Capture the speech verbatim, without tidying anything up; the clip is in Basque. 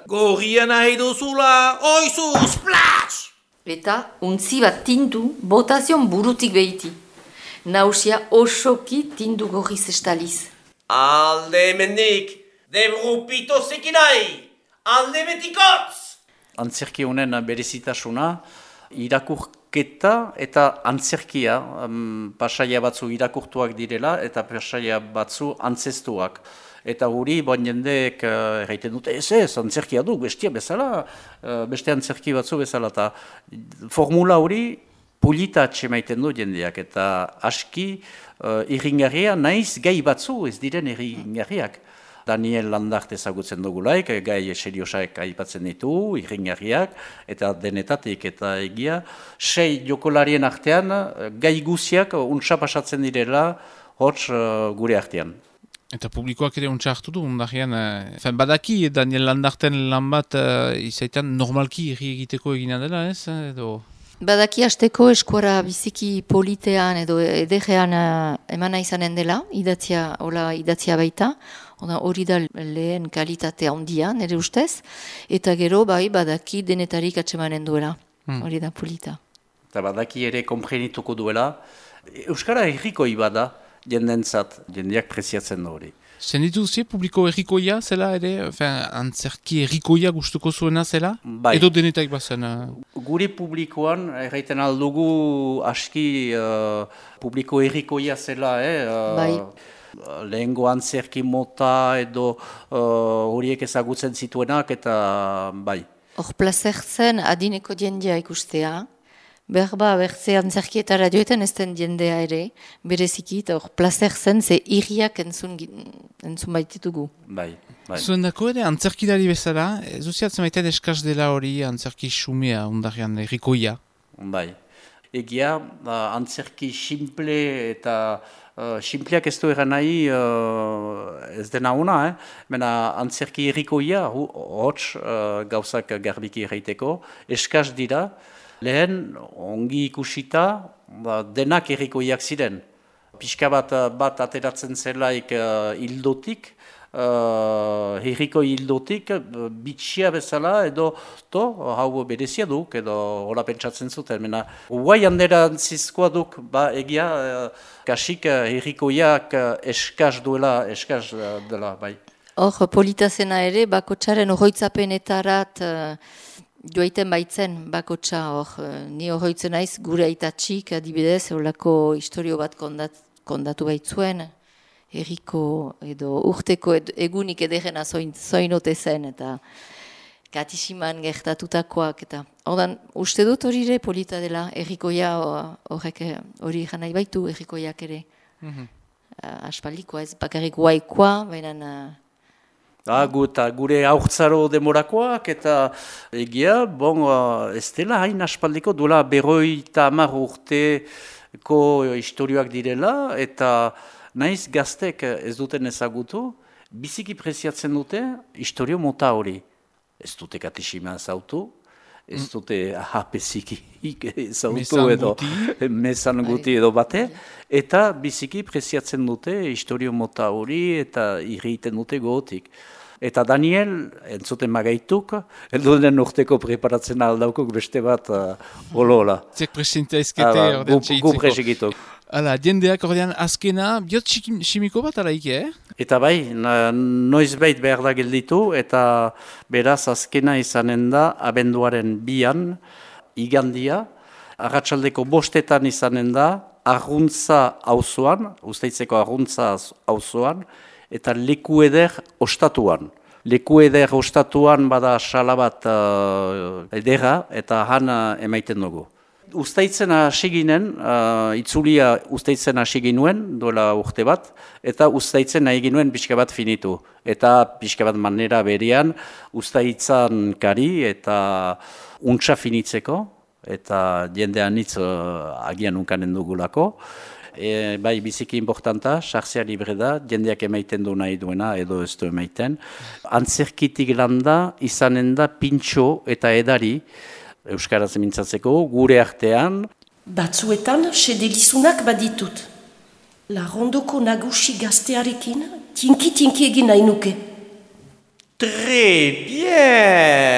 Gorria nahi duzula, oizu, splash! Eta untzi bat tindu botazion burutik behiti. Nausia osoki tindu gorriz estaliz. Alde hemendik, debrupito zekinai, alde betikotz! Antzerki honen berezitasuna, irakurketa eta antzerkia, um, pasaia batzu irakurtuak direla eta pasaia batzu antzestuak. Eta guri, bon jendeek uh, erraiten dute, ez ez, antzerkia du, bestia bezala, uh, beste antzerki batzu bezala. Eta formula hori polita atxemaiten du jendeak, eta aski uh, irringarria naiz gai batzu ez diren irringarriak. Daniel Landart ezagutzen dugulaik, gai seriosaek aipatzen ditu, irringarriak, eta denetatik eta egia. Sei jokolarien artean, gai guziak untsa pasatzen direla, hots uh, gure artean. Eta publikoak ere untsa hartu du, ondarean, eh, badaki Daniel Landarten lan bat uh, izaitan normalki irri egiteko egina dela, ez? Edo... Badaki hasteko eskuara biziki politean edo ederrean uh, emana izanen dela, idatzia, hola idatzia baita, hori da lehen kalitatea handia, nire ustez, eta gero bai badaki denetarik atsemanen duela, hori da polita. Eta badaki ere komprenituko duela, Euskara herrikoi bada, jendentzat, jendeak preziatzen da hori. Zenditu zi, publiko errikoia zela ere, fin, antzerki errikoia gustuko zuena zela? Bai. Edo denetak bazen? Uh... Gure publikoan, erraiten aldugu aski uh, publiko errikoia zela, eh? Uh, bai. Lehengo antzerki mota edo horiek uh, ezagutzen zituenak eta bai. Hor plazertzen adineko jendea ikustea, berba bertze antzerkietara joetan ez den jendea ere, bereziki, eta hor plazertzen ze irriak entzun, entzun baititugu. Bai, bai. Zuen dako ere, antzerkidari bezala, zuziatzen maitean eskaz dela hori antzerki xumea, ondarean errikoia. Bai. Egia, uh, antzerki simple eta Uh, Simpleak ez du eran nahi uh, ez dena ona, eh? Mena antzerki errikoia, hots uh, gauzak garbiki erraiteko, eskaz dira, lehen ongi ikusita ba, denak errikoiak ziren. Pixka bat, bat ateratzen zelaik uh, hildotik, Uh, herriko hildotik, uh, bitxia bezala, edo to, hau berezia duk, edo hola pentsatzen zuten. Mena, guai handerantzizkoa duk, ba egia, uh, kasik uh, herrikoiak uh, eskaz duela, eskaz uh, dela, bai. Hor, politazena ere, bakotxaren horroitzapenetarat uh, joaiten baitzen bakotxa, hor, uh, ni horroitzen naiz gure aitatxik, adibidez, horlako historio bat kondat, kondatu baitzuen, herriko edo urteko ed, egunik ederrena zoin, zoinote zen eta katisiman gertatutakoak eta ordan uste dut hori ere polita dela herrikoia horrek hori jan nahi baitu herrikoiak ere mm-hmm. uh, aspaldikoa ez bakarrik guaikoa baina uh, ah, guta, gure aurtzaro demorakoak eta egia bon, uh, ez dela hain aspaldiko duela berroita hamar urteko historioak direla eta naiz gaztek ez duten ezagutu, biziki preziatzen dute historio mota hori. Ez dute katishima zautu, ez dute ahapeziki zautu edo mesan guti edo bate, eta biziki preziatzen dute historio mota hori eta irriten dute gogotik. Eta Daniel, entzuten magaituk, elduden urteko preparatzen aldaukuk beste bat holola. Uh, Zek presinta ezkete ordean txeitzeko. Gu presigituk. Hala, jendeak ordean azkena, biot simiko bat alaik, eh? Eta bai, noiz bait behar da gelditu, eta beraz azkena izanen da abenduaren bian, igandia, arratsaldeko bostetan izanen da, arruntza auzoan, Usteitzeko arruntza auzoan, eta leku eder ostatuan. Leku eder ostatuan bada sala bat uh, edera, eta han uh, emaiten dugu. Uztaitzen hasi ginen, uh, itzulia Uztaitzen hasi ginuen, duela urte bat, eta Uztaitzen nahi ginuen pixka bat finitu. Eta pixka bat manera berean, Uztaitzan kari eta untsa finitzeko, eta jendean hitz uh, agian unkanen dugulako. E, bai, biziki importanta, sartzea libre da, jendeak emaiten du nahi duena, edo ez du emaiten. Antzerkitik landa, izanen da pintxo eta edari, Euskaraz mintzatzeko, gure artean. Batzuetan, sedelizunak baditut. Larrondoko nagusi gaztearekin, tinki-tinki egin nahi nuke. Très bien.